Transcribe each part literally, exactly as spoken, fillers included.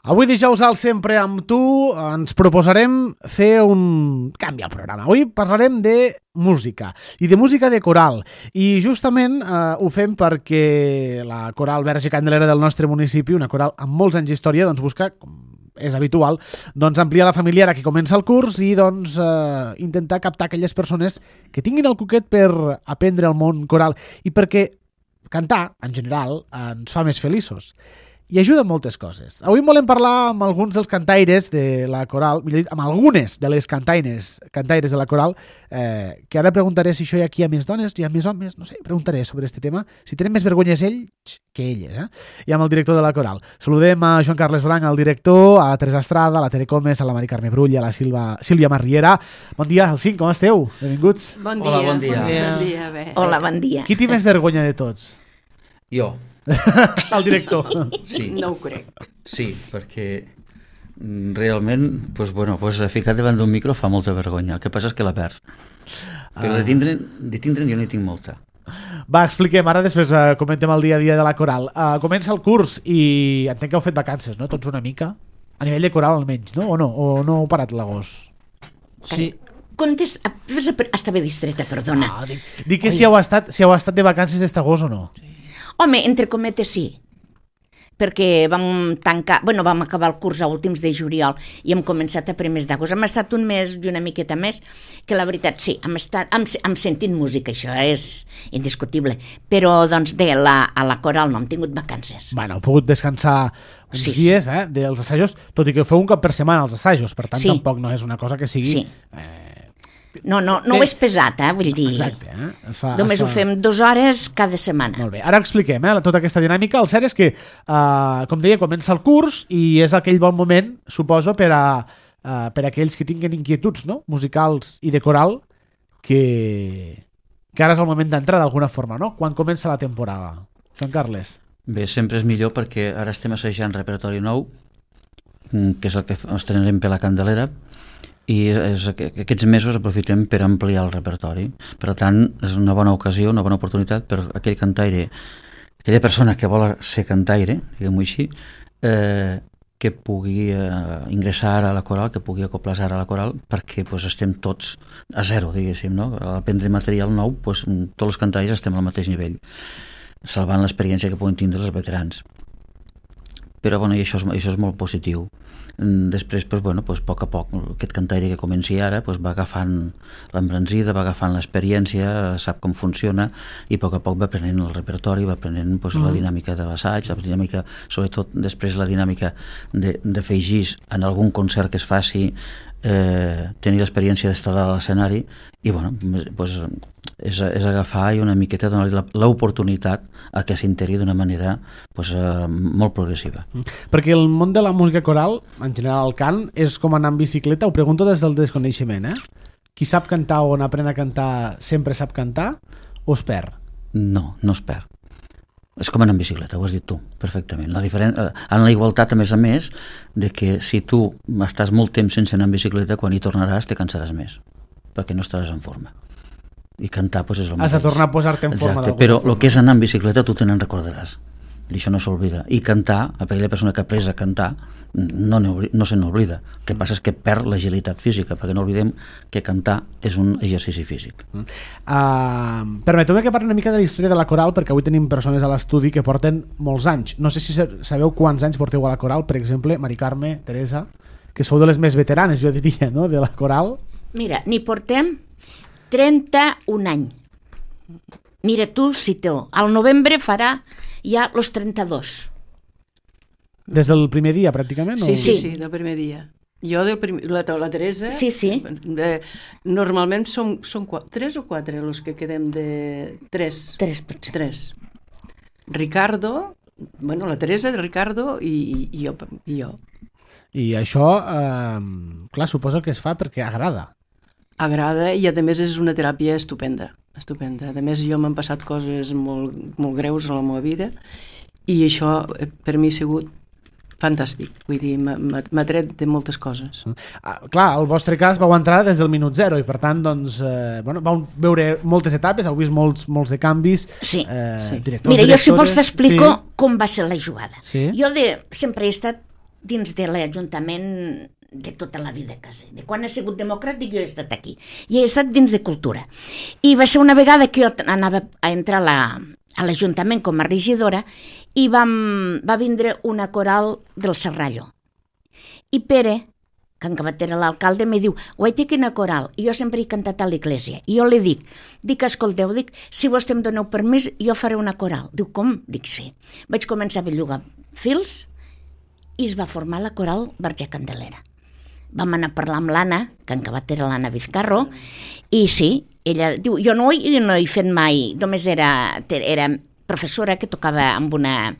Avui dijous al Sempre amb tu ens proposarem fer un canvi al programa. Avui parlarem de música i de música de coral i justament eh, ho fem perquè la coral Verge Candelera del nostre municipi, una coral amb molts anys d'història, doncs busca, com és habitual, doncs ampliar la família ara que comença el curs i doncs eh, intentar captar aquelles persones que tinguin el coquet per aprendre el món coral i perquè cantar, en general, ens fa més feliços. I ajuda en moltes coses. Avui volem parlar amb alguns dels cantaires de la coral, millor dit, amb algunes de les cantaires, cantaires de la coral, eh, que ara preguntaré si això hi ha aquí hi ha més dones, hi ha més homes, no sé, preguntaré sobre aquest tema, si tenen més vergonyes ells que elles, eh? I amb el director de la coral. Saludem a Joan Carles Blanc, el director, a Teresa Estrada, a la Tere Comes, a la Mari Carme Brull, a la Silva, Sílvia Marriera. Bon dia, els cinc, com esteu? Benvinguts. Bon dia. Hola, bon dia. Bon dia. Bon dia, bé. Hola, bon dia. Qui té més vergonya de tots? Jo. El director. Sí. No ho crec. Sí, perquè realment, pues, bueno, pues, ficar davant d'un micro fa molta vergonya. El que passa és que la perds. Però ah. de tindre'n de tindre jo n'hi tinc molta. Va, expliquem, ara després uh, comentem el dia a dia de la coral. Uh, comença el curs i entenc que heu fet vacances, no? Tots una mica? A nivell de coral almenys, no? O no? O no heu parat l'agost? Sí. Contesta, estava distreta, perdona. Ah, dic, dic que si heu, estat, si heu estat de vacances aquest agost o no. Sí. Home, entre cometes sí, perquè vam tancar, bueno, vam acabar el curs a últims de juliol i hem començat a primers d'agost. Hem estat un mes i una miqueta més, que la veritat sí, hem, estat, hem, hem sentit música, això és indiscutible, però doncs de la, a la coral no hem tingut vacances. Bueno, heu pogut descansar uns sí, dies sí. Eh, dels assajos, tot i que feu un cop per setmana els assajos, per tant sí. Tampoc no és una cosa que sigui... Sí. Eh, No, no, no és pesat, eh? Vull dir... Exacte, eh? Es fa, només es fa... ho fem dues hores cada setmana. Molt bé, ara expliquem eh, tota aquesta dinàmica. El cert és que, eh, com deia, comença el curs i és aquell bon moment, suposo, per a, eh, per a aquells que tinguin inquietuds, no?, musicals i de coral, que, que ara és el moment d'entrar d'alguna forma, no?, quan comença la temporada. Joan Carles. Bé, sempre és millor perquè ara estem assajant repertori nou, que és el que estrenarem per la Candelera, i és, aquests mesos aprofitem per ampliar el repertori. Per tant, és una bona ocasió, una bona oportunitat per aquell cantaire, aquella persona que vol ser cantaire, diguem-ho així, eh, que pugui eh, ingressar a la coral, que pugui acoplar-se a la coral, perquè pues, estem tots a zero, diguéssim, no? A aprendre material nou, pues, tots els cantaires estem al mateix nivell, salvant l'experiència que poden tindre els veterans. Però bueno, i això, és, això és molt positiu. Després, pues, bueno, pues, a poc a poc, aquest cantaire que comenci ara pues, va agafant l'embranzida, va agafant l'experiència, sap com funciona i a poc a poc va aprenent el repertori, va aprenent pues, mm. la dinàmica de l'assaig, la dinàmica, sobretot després la dinàmica de, de fer gis en algun concert que es faci, eh, tenir l'experiència d'estar a l'escenari i bueno, pues, és, és agafar i una miqueta donar-li l'oportunitat a que s'integri d'una manera pues, eh, molt progressiva. Mm. Perquè el món de la música coral, en general el cant, és com anar en bicicleta, ho pregunto des del desconeixement, eh? Qui sap cantar o n'aprèn a cantar sempre sap cantar o es perd? No, no es perd. És com anar en bicicleta, ho has dit tu, perfectament. La diferent... En la igualtat, a més a més, de que si tu estàs molt temps sense anar en bicicleta, quan hi tornaràs te cansaràs més, perquè no estaràs en forma. I cantar pues, és el mateix. Has de tornar a posar-te en forma. Exacte, però el que és anar en bicicleta tu te n'en recordaràs. I això no s'oblida. I cantar, aquella persona que ha après a cantar, no, no se n'oblida. El que passa és que perd l'agilitat física, perquè no oblidem que cantar és un exercici físic. Uh, Permeteu-me que parli una mica de la història de la coral, perquè avui tenim persones a l'estudi que porten molts anys. No sé si sabeu quants anys porteu a la coral, per exemple, Mari Carme, Teresa, que sou de les més veteranes, jo diria, no?, de la coral. Mira, n'hi portem trenta-un anys. Mira tu, si teu. Al novembre farà ja los trenta-dos. Des del primer dia, pràcticament? Sí, o... sí, sí, del primer dia. Jo, del prim... la, la Teresa, sí, sí. Eh, normalment som, som quatre, tres o quatre els que quedem de... Tres. Tres, potser. Tres. Ricardo, bueno, la Teresa, Ricardo i, i, i, jo, i jo. I això, eh, clar, suposo que es fa perquè agrada. Agrada i a més és una teràpia estupenda, estupenda. A més jo m'han passat coses molt, molt greus a la meva vida i això per mi ha sigut fantàstic, vull dir, m'ha tret de moltes coses. Ah, clar, el vostre cas vau entrar des del minut zero i per tant, doncs, eh, bueno, vau veure moltes etapes, heu vist molts, molts de canvis. Sí, eh, sí. Directors, mira, jo si vols t'explico sí. com va ser la jugada. Sí. Jo de, sempre he estat dins de l'Ajuntament de tota la vida, quasi. De quan he sigut democràtic, jo he estat aquí. I he estat dins de cultura. I va ser una vegada que jo anava a entrar a la, a l'Ajuntament com a regidora i vam, va vindre una coral del Serrallo. I Pere, que en acabat era l'alcalde, me diu, guaita, quina coral. I jo sempre he cantat a l'església. I jo li dic, dic, escolteu, dic, si vos em doneu permís, jo faré una coral. Diu, com? Dic, sí. Vaig començar a bellugar fils i es va formar la coral Verge Candelera. Vam anar a parlar amb l'Anna, que en acabat era l'Anna Vizcarro, i sí, ella diu, jo no, jo no he fet mai, només era, era professora que tocava amb, una,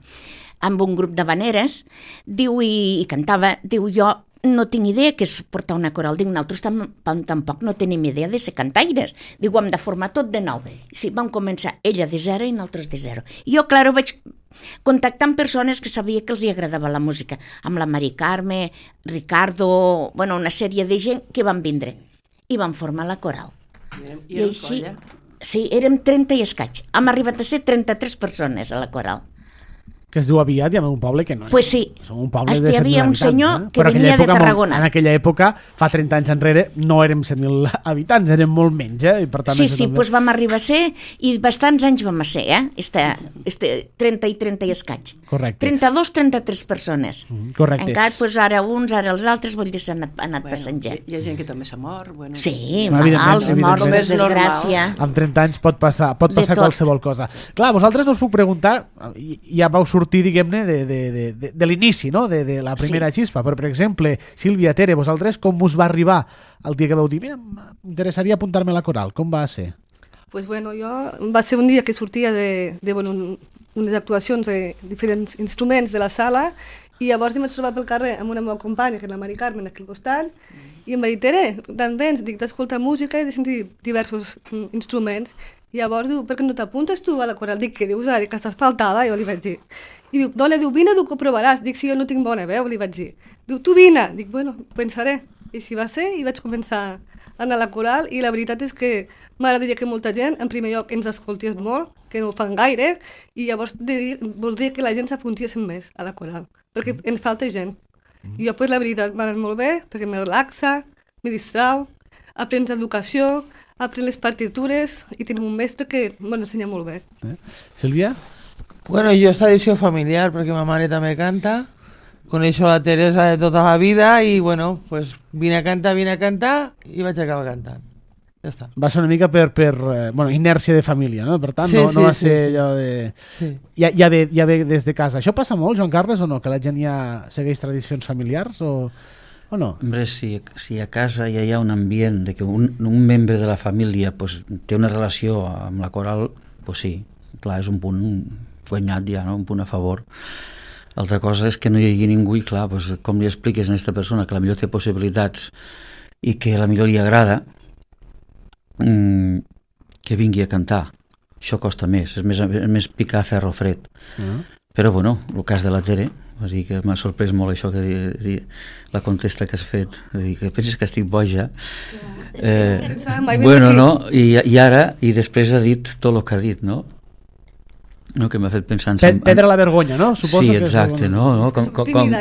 amb un grup d'habaneres, diu, i, i cantava, diu, jo no tinc idea que és portar una coral, dic, nosaltres tam, tampoc no tenim idea de ser cantaires, diu, hem de formar tot de nou. Sí, vam començar ella de zero i nosaltres de zero. I jo, clar, vaig contactar amb persones que sabia que els hi agradava la música, amb la Mari Carme, Ricardo, bueno, una sèrie de gent que van vindre i van formar la coral. I, I així, colla? Sí, érem trenta i escaig. Hem arribat a ser trenta-tres persones a la coral. Que es diu aviat i en un poble que no és. Pues sí. Som un poble Hasta de hi havia un senyor eh? que Però venia època, de Tarragona. En aquella època, fa trenta anys enrere, no érem set mil habitants, érem molt menys. Eh? I per tant, sí, sí, doncs vam arribar a ser, i bastants anys vam a ser, eh? Este, este trenta i trenta i escaig. Correcte. trenta-dos trenta-tres persones. Mm, correcte. Encara, doncs, ara uns, ara els altres, vol dir, s'ha anat, anat bueno, passant gent. Hi ha gent que també s'ha mort. Bueno, sí, evidentment, malalts, morts, per evidentment. desgràcia. Amb trenta anys pot passar, pot passar qualsevol cosa. Clar, vosaltres no us puc preguntar, ja vau sortir, diguem-ne, de, de, de, de, de l'inici, no? de, de la primera sí. xispa, però per exemple, Sílvia, Tere, vosaltres com us va arribar el dia que vau dir, mira, m'interessaria apuntar-me a la coral, com va ser? Pues bueno, jo va ser un dia que sortia de, de bueno, un, unes actuacions de diferents instruments de la sala i llavors em vaig trobar pel carrer amb una meva companya, que és la Mari Carmen, aquí al costat, i em va dir, Tere, d'on vens? Dic, d'escoltar música i de sentir diversos mm, instruments. I llavors diu, per què no t'apuntes tu a la coral? Dic, què dius ara? Que estàs faltada? I jo li vaig dir. I diu, dona, diu, vine, diu, que ho provaràs. Dic, si jo no tinc bona veu, li vaig dir. Diu, tu vine. Dic, bueno, pensaré. I si va ser, i vaig començar a anar a la coral, i la veritat és que m'agradaria que molta gent, en primer lloc, ens escoltés molt, que no ho fan gaire, i llavors de dir, voldria que la gent s'apuntés més a la coral, perquè ens falta gent. I jo, pues, la veritat, m'ha anat molt bé, perquè me relaxa, me distrau, aprens educació, aprens les partitures, i tenim un mestre que m'ensenya molt bé. Eh? Sílvia? Bueno, jo és tradició familiar, perquè ma mare també canta, coneixo la Teresa de tota la vida i, bueno, pues vine a cantar, vine a cantar i vaig acabar cantant. Ja està. Va ser una mica per, per eh, bueno, inèrcia de família, no? Per tant, sí, no, no sí, va ser sí, sí. allò de... Sí. Ja, ja, ve, ja ve des de casa. Això passa molt, Joan Carles, o no? Que la gent ja segueix tradicions familiars o, o no? Hombre, si, si a casa ja hi ha un ambient de que un, un membre de la família pues, té una relació amb la coral, pues sí, clar, és un punt guanyat ja, no? Un punt a favor. L'altra cosa és que no hi hagi ningú i clar, pues, com li expliques a aquesta persona que la millor té possibilitats i que la millor li agrada, mmm, que vingui a cantar. Això costa més, és més, és més picar ferro fred. Uh-huh. Però bueno, el cas de la Tere, va dir que m'ha sorprès molt això que di, di, la contesta que has fet, dir, que penses que estic boja. Eh, bueno, no? I, i ara, i després ha dit tot el que ha dit, no? No, que m'ha fet pensar en... Pe Pedra la vergonya, no? Suposo sí, que exacte, és... no? no? Com, com, com,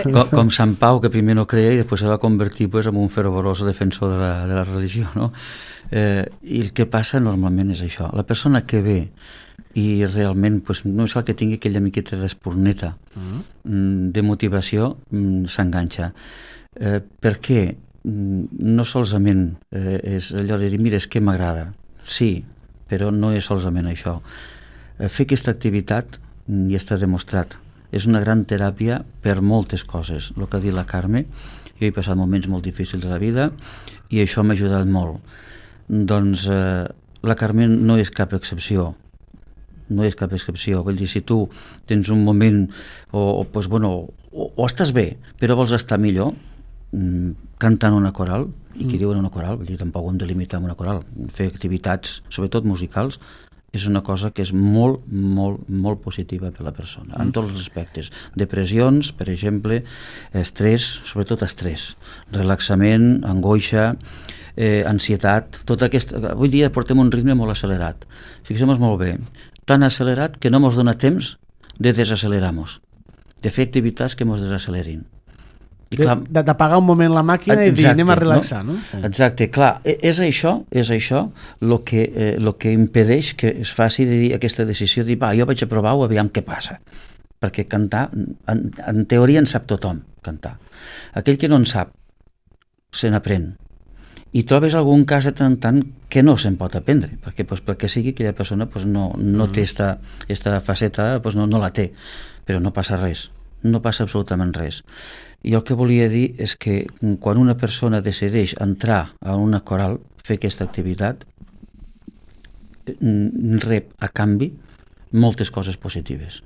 com, com Sant Pau, que primer no creia i després se va convertir pues, en un fervoroso defensor de la, de la religió, no? Eh, I el que passa normalment és això. La persona que ve i realment pues, no és el que tingui aquella miqueta d'esporneta mm. de motivació, mm, s'enganxa. Eh, per què? No solament eh, és allò de dir, mira, és que m'agrada. Sí, però no és solament això. Fer aquesta activitat ja està demostrat. És una gran teràpia per moltes coses. El que ha dit la Carme, jo he passat moments molt difícils de la vida i això m'ha ajudat molt. Doncs eh, la Carme no és cap excepció. No és cap excepció. Vull dir, si tu tens un moment o, o, pues, bueno, o, o estàs bé, però vols estar millor, mm, cantant una coral, i qui mm. diuen una coral, vull dir, tampoc ho hem de limitar amb una coral. Fer activitats, sobretot musicals, és una cosa que és molt, molt, molt positiva per a la persona, en tots els aspectes. Depressions, per exemple, estrès, sobretot estrès, relaxament, angoixa, eh, ansietat, tot aquest... Avui dia portem un ritme molt accelerat. Fixem-nos molt bé, tan accelerat que no ens dona temps de desacelerar-nos, de fer activitats que ens desacelerin. d'apagar un moment la màquina i dir anem a relaxar, no? no? Exacte, clar, és això, és això el que, eh, lo que impedeix que es faci de dir aquesta decisió de dir, va, jo vaig a provar-ho, aviam què passa. Perquè cantar, en, en teoria en sap tothom, cantar. Aquell que no en sap, se n'aprèn. I trobes algun cas de tant en tant que no se'n pot aprendre, perquè, pues, perquè sigui aquella persona pues, no, no té esta, esta faceta, pues, no, no la té, però no passa res, no passa absolutament res. I el que volia dir és que quan una persona decideix entrar a una coral, fer aquesta activitat, rep a canvi moltes coses positives,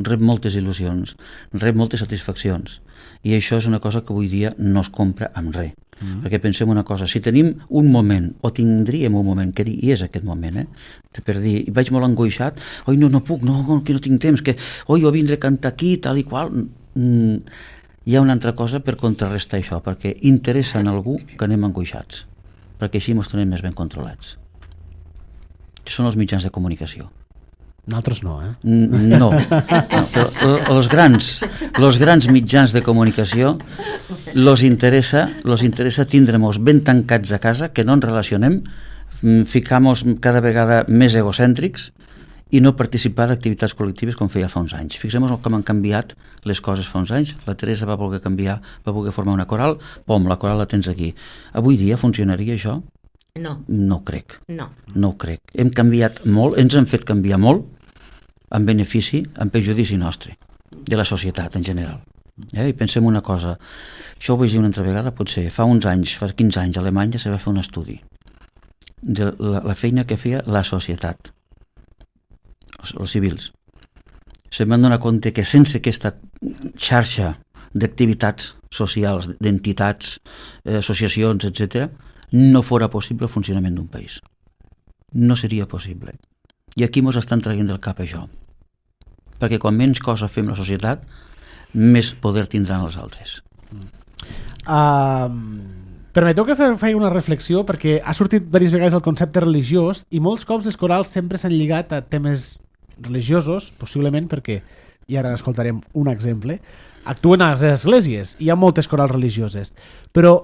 rep moltes il·lusions, rep moltes satisfaccions, i això és una cosa que avui dia no es compra amb res. Mm. Perquè pensem una cosa, si tenim un moment, o tindríem un moment, que i és aquest moment, eh? per dir, vaig molt angoixat, oi, no, no puc, no, que no tinc temps, que, oi, jo vindré a cantar aquí, tal i qual, mm, hi ha una altra cosa per contrarrestar això, perquè interessa en algú que anem angoixats, perquè així ens tenim més ben controlats. Són els mitjans de comunicació. Nosaltres no, eh? No, no els grans, els grans mitjans de comunicació los interessa, los interessa tindre-nos ben tancats a casa, que no ens relacionem, ficar-nos cada vegada més egocèntrics i no participar d'activitats col·lectives com feia fa uns anys. Fixem-nos com han canviat les coses fa uns anys. La Teresa va voler canviar, va voler formar una coral, pom, la coral la tens aquí. Avui dia funcionaria això? No. No ho crec. No. No ho crec. Hem canviat molt, ens han fet canviar molt, en benefici, en perjudici nostre, de la societat en general. Eh? I pensem una cosa, això ho vaig dir una altra vegada, potser fa uns anys, fa quinze anys, a Alemanya se va fer un estudi de la, la feina que feia la societat, els, els civils. Se van donar compte que sense aquesta xarxa d'activitats socials, d'entitats, eh, associacions, etcètera, no fora possible el funcionament d'un país. No seria possible. I aquí ens estan traient del cap això. Perquè quan menys cosa fem la societat, més poder tindran els altres. Uh, permeteu que faci una reflexió, perquè ha sortit diverses vegades el concepte religiós i molts cops les corals sempre s'han lligat a temes religiosos, possiblement perquè, i ara escoltarem un exemple, actuen a les esglésies, hi ha moltes corals religioses, però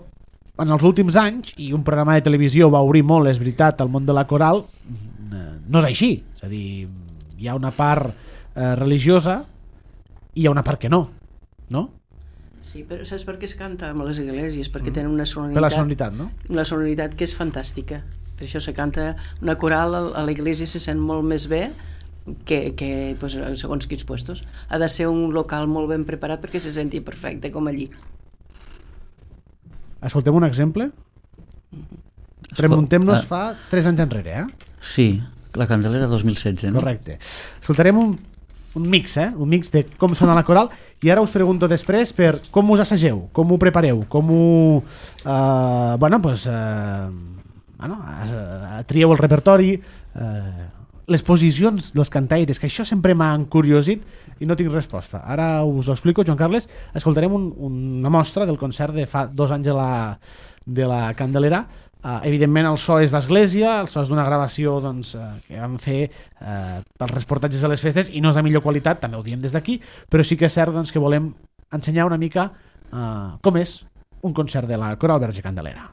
en els últims anys, i un programa de televisió va obrir molt, és veritat, al món de la coral, no és així, és a dir, hi ha una part eh, religiosa i hi ha una part que no, no? Sí, però saps per què es canta a les esglésies? Perquè mm. tenen una sonoritat, per la sonoritat, no? Una sonoritat que és fantàstica. Per això se canta una coral a l'església, se sent molt més bé que, que pues, segons quins puestos. Ha de ser un local molt ben preparat perquè se senti perfecte, com allí. Escoltem un exemple? Remuntem-nos fa tres anys enrere, eh? Sí, la Candelera dos mil setze, no? Correcte. Escoltarem un, un mix, eh? Un mix de com sona la coral, i ara us pregunto després per com us assageu, com ho prepareu, com ho... Eh, bueno, doncs... Eh, bueno, eh, trieu el repertori, eh, les posicions dels cantaires, que això sempre m'ha encuriosit i no tinc resposta. Ara us ho explico, Joan Carles. Escoltarem un, una mostra del concert de fa dos anys de la, de la Candelera. Uh, evidentment el so és d'església, el so és d'una gravació doncs, uh, que vam fer uh, pels reportatges de les festes i no és de millor qualitat, també ho diem des d'aquí, però sí que és cert doncs, que volem ensenyar una mica uh, com és un concert de la Coral Verge Candelera.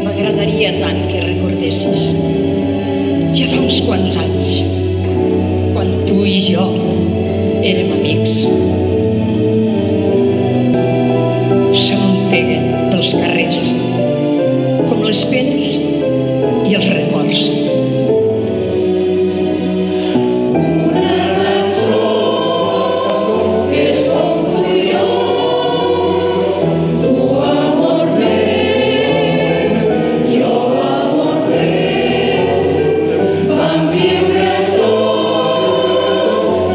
M'agradaria tant que recordessis ja fa uns quants anys quan tu i jo érem amics. S'amunteguen pels carrers com les pells i els records. Viure tots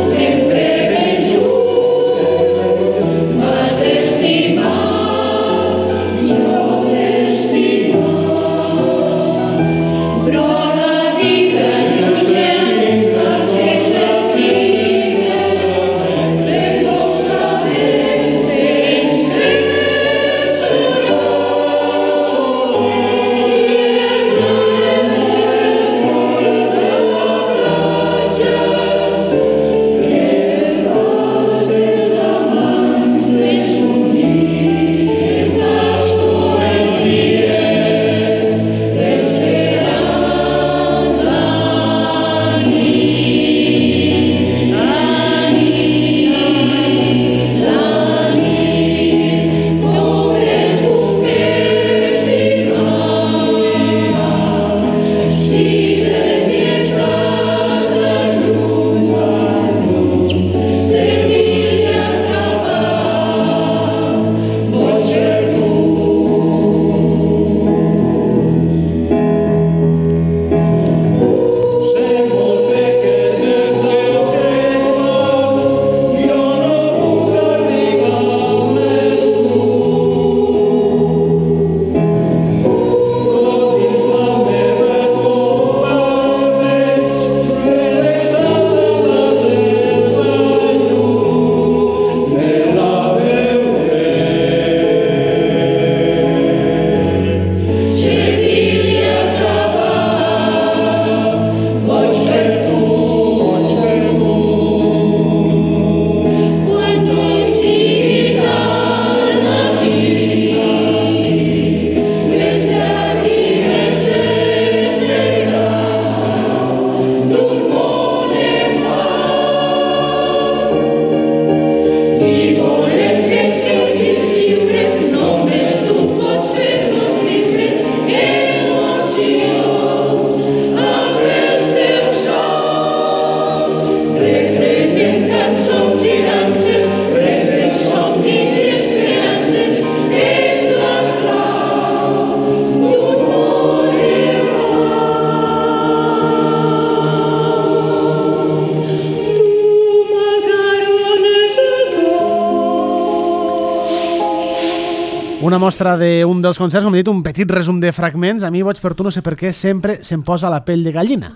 una mostra d'un dels concerts, com he dit, un petit resum de fragments. A mi, Boig per tu, no sé per què, sempre se'm posa la pell de gallina.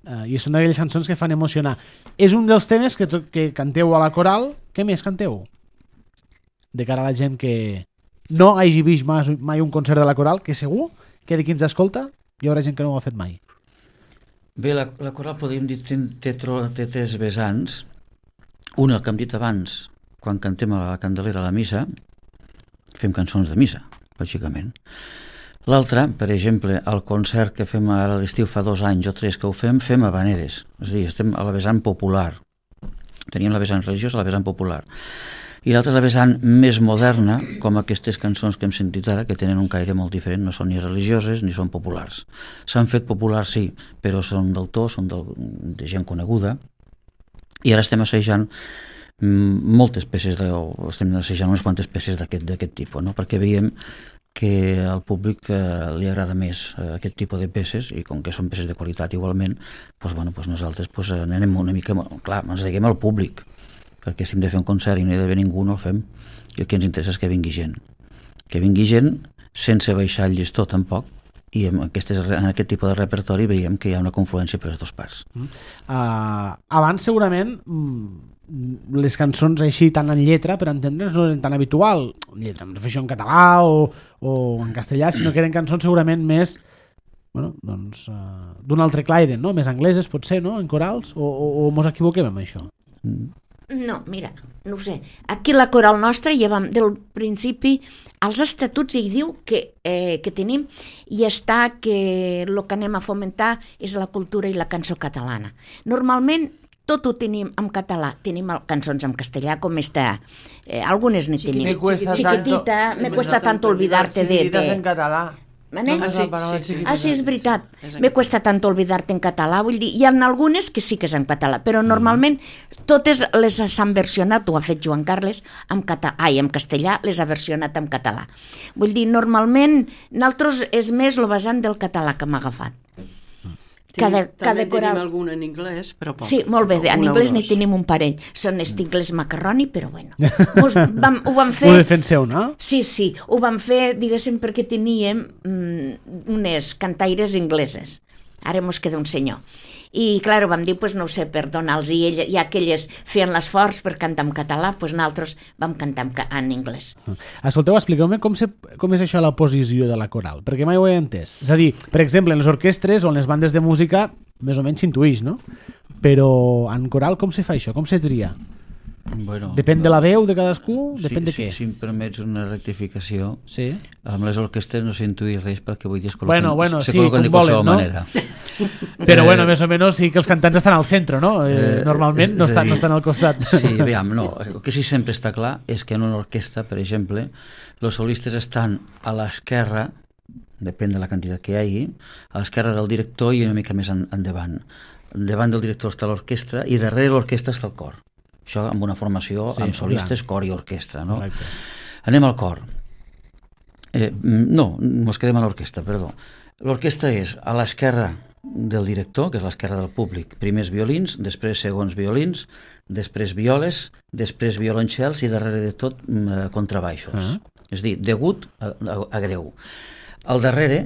Uh, I són d'aquelles cançons que fan emocionar. És un dels temes que, que canteu a la coral. Què més canteu? De cara a la gent que no hagi vist mai, mai un concert de la coral, que segur que de qui ens escolta hi haurà gent que no ho ha fet mai. Bé, la, la coral, podríem dir, té, té, té tres vessants. Una, el que hem dit abans, quan cantem a la Candelera a la missa, fem cançons de missa, lògicament. L'altra, per exemple, el concert que fem ara a l'estiu fa dos anys o tres que ho fem, fem habaneres. És a dir, estem a la vessant popular. Teníem la vessant religiosa, la vessant popular. I l'altra és la vessant més moderna, com aquestes cançons que hem sentit ara, que tenen un caire molt diferent, no són ni religioses ni són populars. S'han fet populars, sí, però són d'autor, són de, de gent coneguda. I ara estem assajant moltes peces, de, o estem assajant unes quantes peces d'aquest tipus, no? Perquè veiem que al públic eh, li agrada més eh, aquest tipus de peces, i com que són peces de qualitat igualment, doncs, bueno, doncs nosaltres doncs, anem una mica, clar, ens deguem al públic, perquè si hem de fer un concert i no hi ha d'haver ningú, no el fem, i el que ens interessa és que vingui gent. Que vingui gent sense baixar el llistó tampoc, i en, aquestes, en aquest tipus de repertori veiem que hi ha una confluència per les dues parts. Uh, abans segurament les cançons així tant en lletra, per entendre's, no eren tan habitual, lletra, em refereixo en català o, o en castellà, sinó que eren cançons segurament més, bueno, doncs, uh, d'un altre claire, no? Més angleses, potser, no? En corals, o, o, o mos equivoquem amb això? No, mira, no ho sé. Aquí la coral nostra ja vam, del principi, als estatuts hi diu que, eh, que tenim i està que el que anem a fomentar és la cultura i la cançó catalana. Normalment tot ho tenim en català, tenim cançons en castellà com està, eh, algunes ne tenim. Me cuesta Chiquitita, tanto, me cuesta tanto olvidarte de... Chiquititas en català. ¿Vale? Ah, sí, sí, sí. Ah, sí, és veritat. Me cuesta tanto olvidarte en català. Vull dir, hi ha algunes que sí que és en català, però normalment totes les s'han versionat, ho ha fet Joan Carles, en, cata... Ai, en castellà les ha versionat en català. Vull dir, normalment, nosaltres és més el vessant del català que m'ha agafat. Cada, També cada coral... tenim alguna en anglès, però poc. Sí, molt bé, en Una anglès o n'hi dos. tenim un parell. Són estingles macarroni, però bueno. Mos vam, ho vam fer... Ho defenseu, no? Sí, sí, ho vam fer, diguéssim, perquè teníem mm, unes cantaires ingleses. Ara mos queda un senyor. I, clar, vam dir, pues, no ho sé, per donar-los, i, ell, i aquelles feien l'esforç per cantar en català, doncs nosaltres vam cantar en, en anglès. Escolteu, expliqueu-me com, se, com és això la posició de la coral, perquè mai ho he entès. És a dir, per exemple, en les orquestres o en les bandes de música més o menys s'intuïx, no? Però en coral com se fa això? Com se tria? Bueno, Depèn de la veu de cadascú? Depèn si, de què? Si, si em permets una rectificació, Sí. amb les orquestres no s'intuïx res perquè vull dir es col·loquen, Bueno, bueno, se sí, col·loquen com de qualsevol volen, no? manera. Però Eh, bueno, més o menys sí que els cantants estan al centre, no? Eh, Eh, normalment és- no és a estan, dir, no estan al costat. Sí, aviam, no. El que sí sempre està clar és que en una orquestra, per exemple, els solistes estan a l'esquerra, depèn de la quantitat que hi hagi, a l'esquerra del director i una mica més en, endavant. Davant del director està l'orquestra i darrere l'orquestra està el cor. Això amb una formació Sí, amb solistes, clar. cor i orquestra, no? Correcte. Anem al cor. Eh, no, ens quedem a l'orquestra, perdó. L'orquestra és a l'esquerra del director, que és l'esquerra del públic, primers violins, després segons violins, després violes, després violoncels i darrere de tot eh, contrabaixos. Ah. És a dir, degut a, a, a greu. Al darrere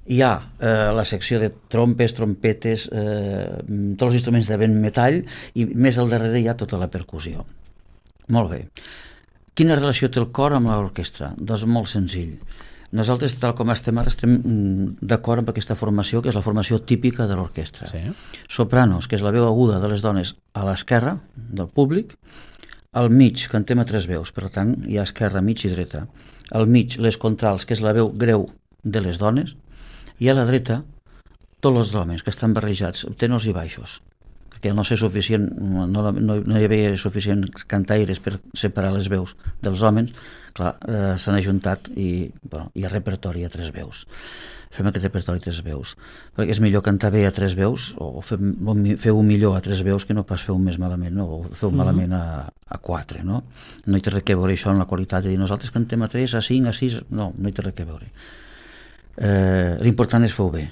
hi ha eh, la secció de trompes, trompetes, eh, tots els instruments de vent metall i més al darrere hi ha tota la percussió. Molt bé. Quina relació té el cor amb l'orquestra? Doncs molt senzill. Nosaltres, tal com estem ara, estem d'acord amb aquesta formació, que és la formació típica de l'orquestra. Sí. Sopranos, que és la veu aguda de les dones a l'esquerra del públic, al mig cantem a tres veus, per tant hi ha esquerra, mig i dreta. Al mig les contrals, que és la veu greu de les dones, i a la dreta tots els homes que estan barrejats, tenors i baixos, perquè no ser suficient, no, no, no hi havia suficients cantaires per separar les veus dels homes, clar, eh, s'han ajuntat i bueno, hi ha repertori a tres veus. Fem aquest repertori a tres veus, perquè és millor cantar bé a tres veus o feu-ho millor a tres veus que no pas feu més malament, no? O feu Mhm. malament a, a quatre, no? No hi té res a veure això en la qualitat de dir nosaltres cantem a tres, a cinc, a sis, no, no hi té res a veure. Eh, l'important és fer-ho bé,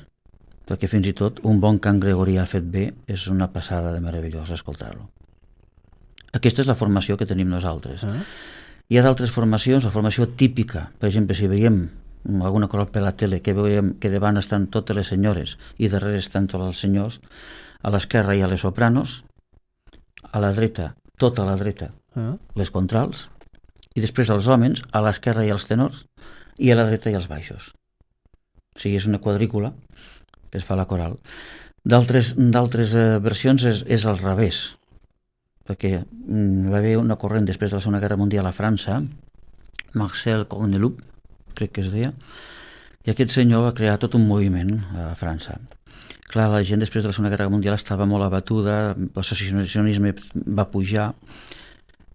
perquè fins i tot un bon cant gregorià fet bé és una passada de meravellós escoltar-lo. Aquesta és la formació que tenim nosaltres. Ah. Hi ha d'altres formacions, la formació típica, per exemple, si veiem alguna cosa per la tele, que veiem que davant estan totes les senyores i darrere estan tots els senyors, a l'esquerra hi ha les sopranos, a la dreta, tota a la dreta, uh-huh. les contrals, i després els homes, a l'esquerra hi ha els tenors, i a la dreta hi ha els baixos. O sigui, és una quadrícula que es fa a la coral. D'altres d'altres eh, versions és, és al revés, perquè mm, va haver una corrent després de la Segona Guerra Mundial a França, Marcel Corneloup, crec que es deia, i aquest senyor va crear tot un moviment a França. Clar, la gent després de la Segona Guerra Mundial estava molt abatuda, l'associacionisme va pujar,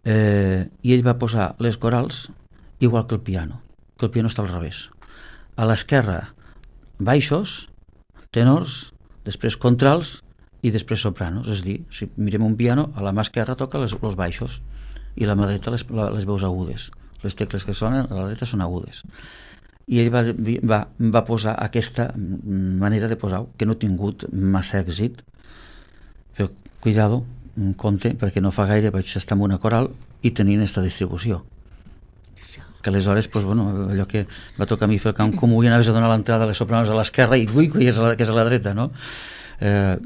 eh, i ell va posar les corals igual que el piano, que el piano està al revés. A l'esquerra, baixos, tenors, després contrals i després sopranos. És a dir, si mirem un piano, a la mà esquerra toca les, els baixos i a la mà dreta les, les veus agudes. Les tecles que sonen a la dreta són agudes. I ell va, va, va posar aquesta manera de posar, que no ha tingut massa èxit, però cuidado, compte, perquè no fa gaire vaig estar en una coral i tenint aquesta distribució. Que aleshores, pues, bueno, allò que va tocar a mi fer el camp comú i anaves a donar l'entrada a les sopranos a l'esquerra i ui, que és a la, que és a la dreta, no? Eh,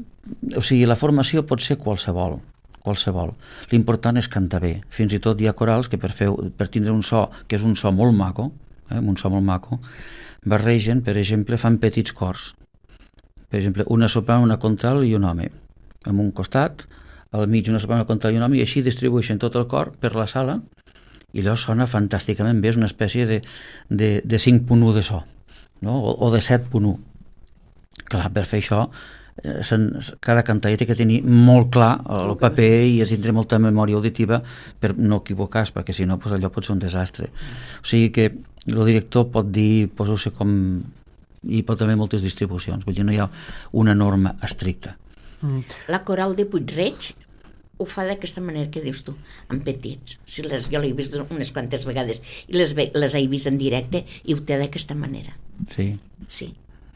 o sigui, la formació pot ser qualsevol, qualsevol. L'important és cantar bé. Fins i tot hi ha corals que per, fer, per tindre un so, que és un so molt maco, eh, un so molt maco, barregen, per exemple, fan petits cors. Per exemple, una soprano, una contral i un home. En un costat, al mig una soprano, una contral i un home, i així distribueixen tot el cor per la sala i allò sona fantàsticament bé, és una espècie de, de, de cinc punt u de so, no? o, o de set punt u. Clar, per fer això, eh, cada cantaire té que tenir molt clar el paper i tindre molta memòria auditiva per no equivocar-se, perquè si no, pues, allò pot ser un desastre. O sigui que el director pot dir, poseu-se com... i pot haver moltes distribucions, vull dir, no hi ha una norma estricta. Mm. La coral de Puig-reig ho fa d'aquesta manera que dius tu, amb petits. Si les, jo l'he vist unes quantes vegades i les, ve, les he vist en directe i ho té d'aquesta manera. Sí. Sí.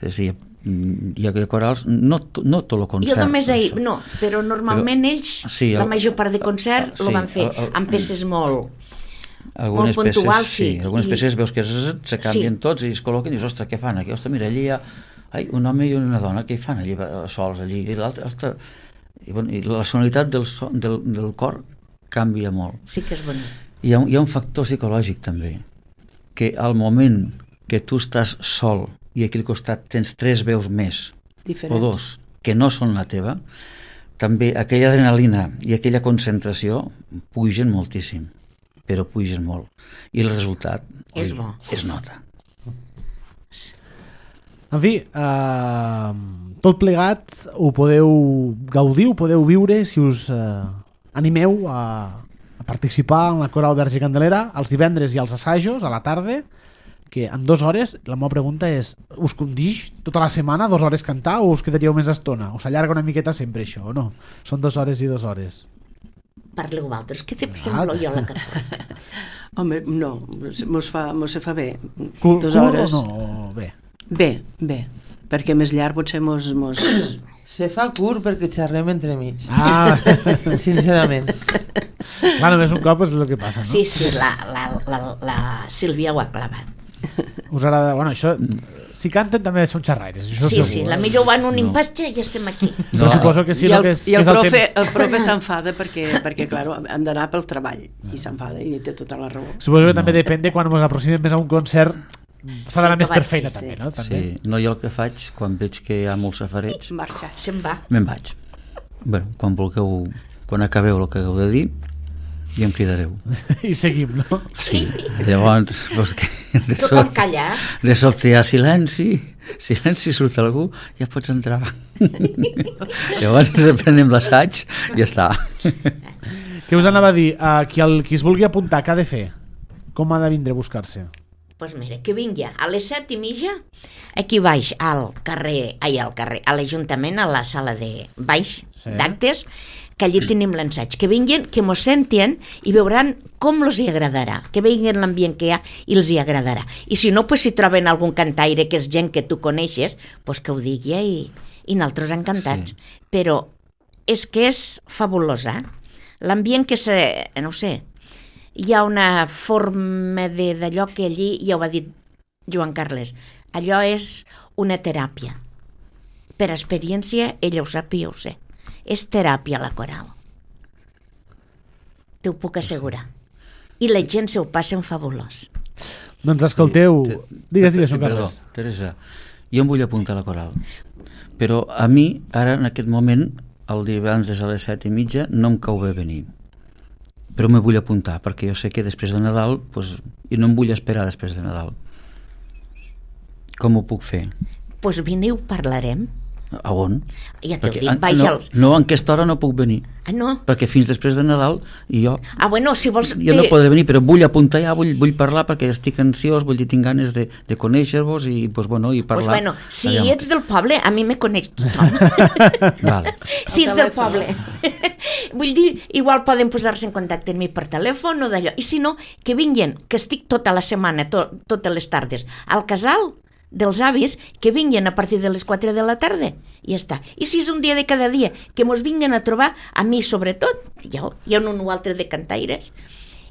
Sí, hi ha corals, no, no tot el concert. Jo només he, no, però normalment però, ells, sí, el, la major part de concert sí, el van fer el, el, amb peces molt, algunes molt puntuals. Peces, sí, algunes i, peces veus que se canvien sí. tots i es col·loquen i dius, ostres, què fan aquí? Ostres, mira, allí hi ha ai, un home i una dona, què fan allí sols allí? I l'altre, ostres... I, bueno, i la sonoritat del, so, del, del cor canvia molt. Sí que és bonic. Hi ha, hi ha un factor psicològic també, que al moment que tu estàs sol i aquí al costat tens tres veus més diferents, o dos, que no són la teva, també aquella adrenalina i aquella concentració pugen moltíssim, però pugen molt. I el resultat és oi, bo. Es nota. En fi, eh, tot plegat ho podeu gaudir, ho podeu viure si us eh, animeu a, a participar en la Coral Verge i Candelera els divendres i els assajos a la tarda, que en dues hores, la meva pregunta és, us condix tota la setmana dues hores cantar o us quedaríeu més estona? Us allarga una miqueta sempre això, o no? Són dues hores i dues hores. Parleu vosaltres, què te sembla jo la cançó? Home, no, mos fa, mos se fa bé. Cur, dues hores. Cur o no? Bé. Bé, bé, perquè més llarg potser mos... mos... Se fa curt perquè xerrem entre mig. Ah, sincerament. Clar, només un cop és el que passa, no? Sí, sí, la, la, la, la Sílvia ho ha clavat. Us agrada... Bueno, això... Si canten també són xerraires, això sí, segur. Sí, la millor van un no. impatge i estem aquí. No, no suposo que sí, I el, que és, i el, que és el profe, temps. el profe s'enfada perquè, perquè clar, han d'anar pel treball i s'enfada i té tota la raó. Suposo que no. També depèn de quan ens aproximem més a un concert, s'ha d'anar sí, més per feina sí. també, no? També. Sí, no, jo el que faig quan veig que hi ha molts safarets marxa, se'n va. Me'n vaig. Bueno, quan vulgueu, quan acabeu el que heu de dir i em cridareu. I seguim, no? Sí, llavors pues, que de, Tothom so, callar. De sobte hi ha silenci, silenci, surt algú, ja pots entrar. Llavors reprenem l'assaig i ja està. Què us anava a dir? Uh, qui, el, qui es vulgui apuntar, què ha de fer? Com ha de vindre a buscar-se? Pues mira, que vingui a les set i mitja aquí baix al carrer, ai, al carrer, a l'Ajuntament, a la sala de baix sí. d'actes, que allí tenim l'ensaig. Que vinguin, que mos sentien i veuran com els hi agradarà, que vinguin l'ambient que hi ha i els hi agradarà. I si no, pues, si troben algun cantaire que és gent que tu coneixes, pues que ho digui i, i nosaltres encantats. Sí. Però és que és fabulosa. L'ambient que se... no sé... hi ha una forma de- d'allò que allí, ja ho ha dit Joan Carles, allò és una teràpia. Per experiència, ella ho sap i jo ho sé. És teràpia la coral. T'ho puc assegurar. I la gent se ho passa en fabulós. Doncs escolteu... Te- Digues, digues, sí, Joan perdó, Carles. Teresa, jo em vull apuntar a la coral, però a mi, ara, en aquest moment, el divendres a les set i mitja, no em cau bé venir. Però me vull apuntar, perquè jo sé que després de Nadal, pues, i no em vull esperar després de Nadal. Com ho puc fer? Doncs pues vine i ho parlarem. A on? Ja t'ho Perquè, dic, ah, vaig no, als... no, en aquesta hora no puc venir, Ah, no? perquè fins després de Nadal i jo, Ah, bueno, si vols... jo no podré venir, però vull apuntar ja, vull, vull parlar perquè estic ansiós, vull dir, tinc ganes de, de conèixer-vos i, pues, bueno, i Pues parlar. bueno, si Aviam. ets del poble, a mi me coneix tothom. Vale. Si ets del telèfon. poble. Vull dir, igual poden posar-se en contacte amb mi per telèfon o d'allò. I si no, que vinguin, que estic tota la setmana, to, totes les tardes, al casal dels avis, que vinguin a partir de les quatre de la tarda i ja està. I si és un dia de cada dia, que mos vinguin a trobar, a mi sobretot, hi ha, hi ha un o altre de cantaires,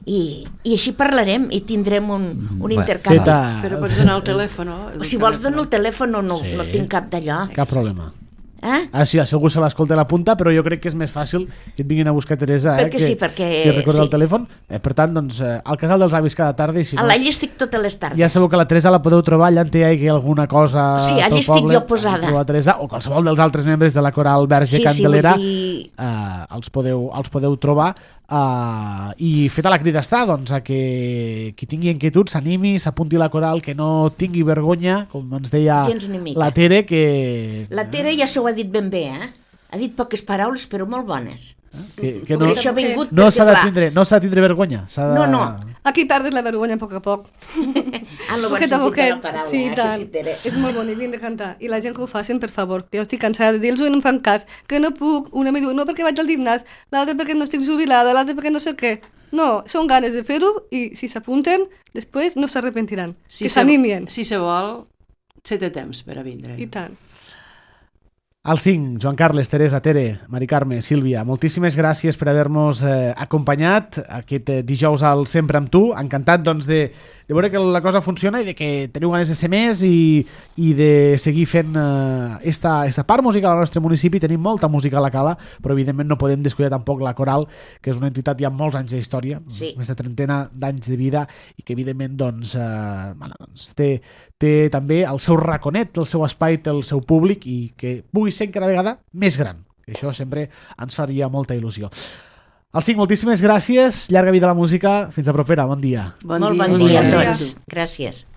i, i així parlarem i tindrem un, un Bé, intercanvi. Feta... Però pots donar el telèfon, no? El Si vols telèfon. donar el telèfon, no, no, Sí. no tinc cap d'allò. Cap problema. Eh? Ah, sí, si algú se l'escolta a la punta, però jo crec que és més fàcil que et vinguin a buscar Teresa, eh? Perquè que, sí, perquè- que recorda sí. el telèfon. Eh, per tant, doncs, eh, al casal dels avis cada tarda, i si A no, l'All estic totes les tardes. ja sabeu que la Teresa la podeu trobar allà on hi hagi alguna cosa Sí, allà pel estic poble, jo posada. trobar la Teresa, o qualsevol dels altres membres de la coral Verge Sí, sí, Candelera, vull dir- eh, els, podeu, els podeu trobar. Uh, i feta la crida està, doncs, a que qui tingui inquietud s'animi, s'apunti a la coral, que no tingui vergonya, com ens deia Gens ni mica. la Tere, que, La Tere ja s'ho ha dit ben bé, eh? Ha dit poques paraules, però molt bones. que, que No, no, això ha vingut no perquè, s'ha de esclar, tindre, no s'ha de tindre vergonya, s'ha de... No, no. Aquí perdes la vergonya a poc a poc. En lo bon Poquet a sentit de poquet. la paraula, Sí, eh, que tant. sí, Tere. És molt bonic, hem de cantar. I la gent que ho facin, per favor. Que jo estic cansada de dir-los i no em fan cas. Que no puc. Una em diu, no perquè vaig al gimnàs, l'altra perquè no estic jubilada, l'altra perquè no sé què. No, són ganes de fer-ho i si s'apunten, després no s'arrepentiran. Si que se- s'animin. Si se vol, se té temps per a vindre. I tant. Al cinc, Joan Carles, Teresa, Tere, Mari Carme, Sílvia, moltíssimes gràcies per haver-nos eh, acompanyat aquest eh, dijous al Sempre amb tu. Encantat, doncs, de, de veure que la cosa funciona i de que teniu ganes de ser més i, i de seguir fent eh, esta, esta part musical al nostre municipi. Tenim molta música a la cala, però evidentment no podem descuidar tampoc la Coral, que és una entitat ja amb molts anys d'història, Sí. més de trentena d'anys de vida, i que evidentment doncs, eh, bueno, doncs té, té també el seu raconet, el seu espai, té el seu públic, i que pugui ser cada vegada més gran. Això sempre ens faria molta il·lusió. Al cinc, moltíssimes gràcies, llarga vida a la música, fins a propera, bon dia. Bon Molt dia. bon dia a Bon dia. tots. Gràcies.